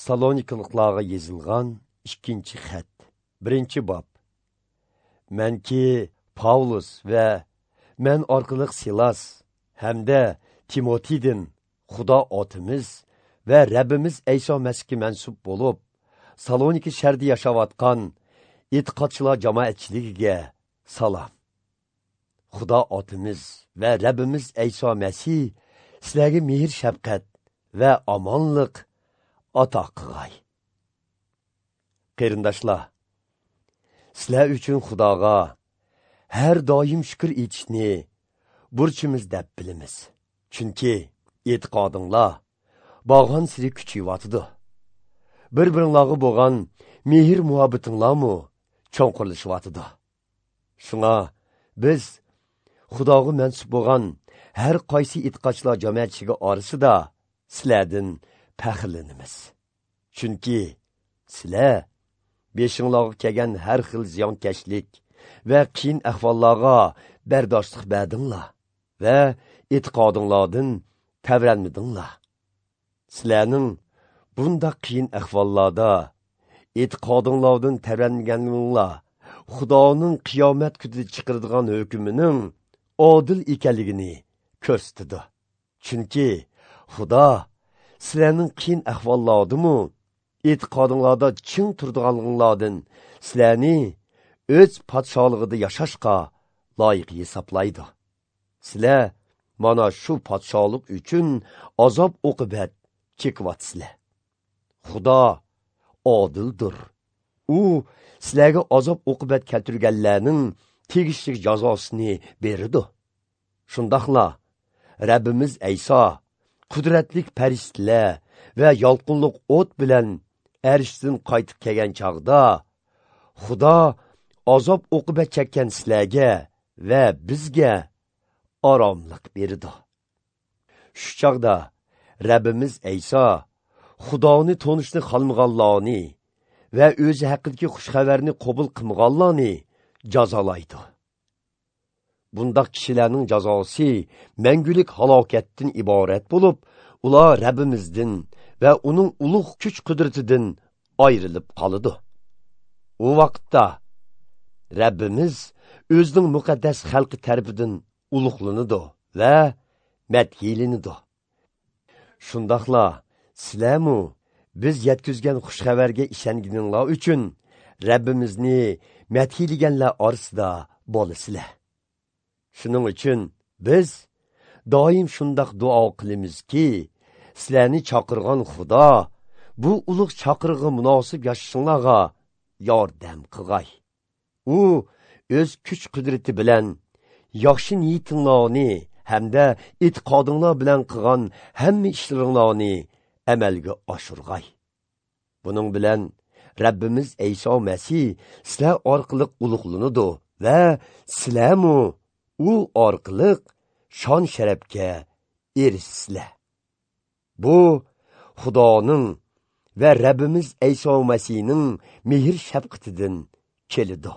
Salonikaliklarga yozilgan 2 xat, 1 bob. Manki Pavlus va men orqali Silas hamda Timotiydan Xudo otimiz va Rabbimiz Ayso Masihga mansub bo'lib, Salonika shahrida yashayotgan e'tiqodchilar jamoatchiligiga salom. Xudo otimiz va Rabbimiz Ayso Masih sizlarga mehr shafqat va omonlik ato qilg'ay. Qarindoshlar, sizlar uchun Xudoga har doim shukr etishni burchimiz deb bilamiz. Chunki e'tiqodinglar borgan siri kuchayyotidi. Bir-biringlarga bo'lgan mehr muhabbatinglarmi cho'nqurlashyotidi. Shunga biz Xudoga mansub bo'lgan har qaysi e'tiqodchilar jamoatchiligi orasida sizlardan faxrlanamiz. Chunki sizlar beshinglarga kelgan har xil ziyonkashlik va qiyin ahvollarga bardoshlik berdinglar va e'tiqodinglardan tavranmadinglar. Sizlarning bundaq qiyin ahvollarda e'tiqodinglardan tavranmaganinglar Xudoning qiyomat kunida chiqaradigan hukmining odil ekanligini ko'rsatdi. Chunki Xudo sizlarning qiyin ahvollardimi e'tiqodinglarda ching turdiganliginglardan sizlarni o'z podsholig'ida yashashga loyiq hisoblaydi. Sizlar mana shu podsholik uchun azob oqibat chekyapsizlar. Xudo odildir. U sizlarga azob oqibat keltirganlarning tegishli jazosini beradi. Shundoqla Rabbimiz Ayso qudratli farishtalar va yolqinliq o't bilan arshdan qaytib kelgan chog'da Xudo azob oqibat chekkan sizlarga va bizga oromlik berdi. Shu chog'da Rabbimiz Ayso Xudoni tonishni xohlamaganlarni va o'zi haqidagi xushxabarni qabul qilmaganlarni jazolaydi. Bundaq kishilarning jazosi mangulik halokatdan iborat bo'lib, ular Rabbimizdan va uning ulug' kuch-qudratidan ayrilib qoladi. U vaqtda Rabbimiz o'zining muqaddas xalqi tarafidan ulug'lanadi va madhiylanadi. Shundoqla sizlarmu biz yetkazgan xushxabarga ishonganinglar uchun Rabbimizni madhiylaganlar orasida bo'lasizlar. Shuning uchun biz doim shundoq duo qilamizki, sizlarni chaqirgan Xudo bu ulug' chaqirig'i munosib yashashinglarga yordam qilg'ay. U o'z kuch-qudrati bilan yaxshi niyatinglarni hamda e'tiqodinglar bilan qilgan hamma ishlaringlarni amalga oshirg'ay. Buning bilan Rabbimiz Ayso Masih sizlar orqali ulug'lanadi va sizlarmu u orqali shon sharafga erishsizlar. Bu Xudoning va Rabbimiz Ayso Masihning mehr shafqatidan keladi.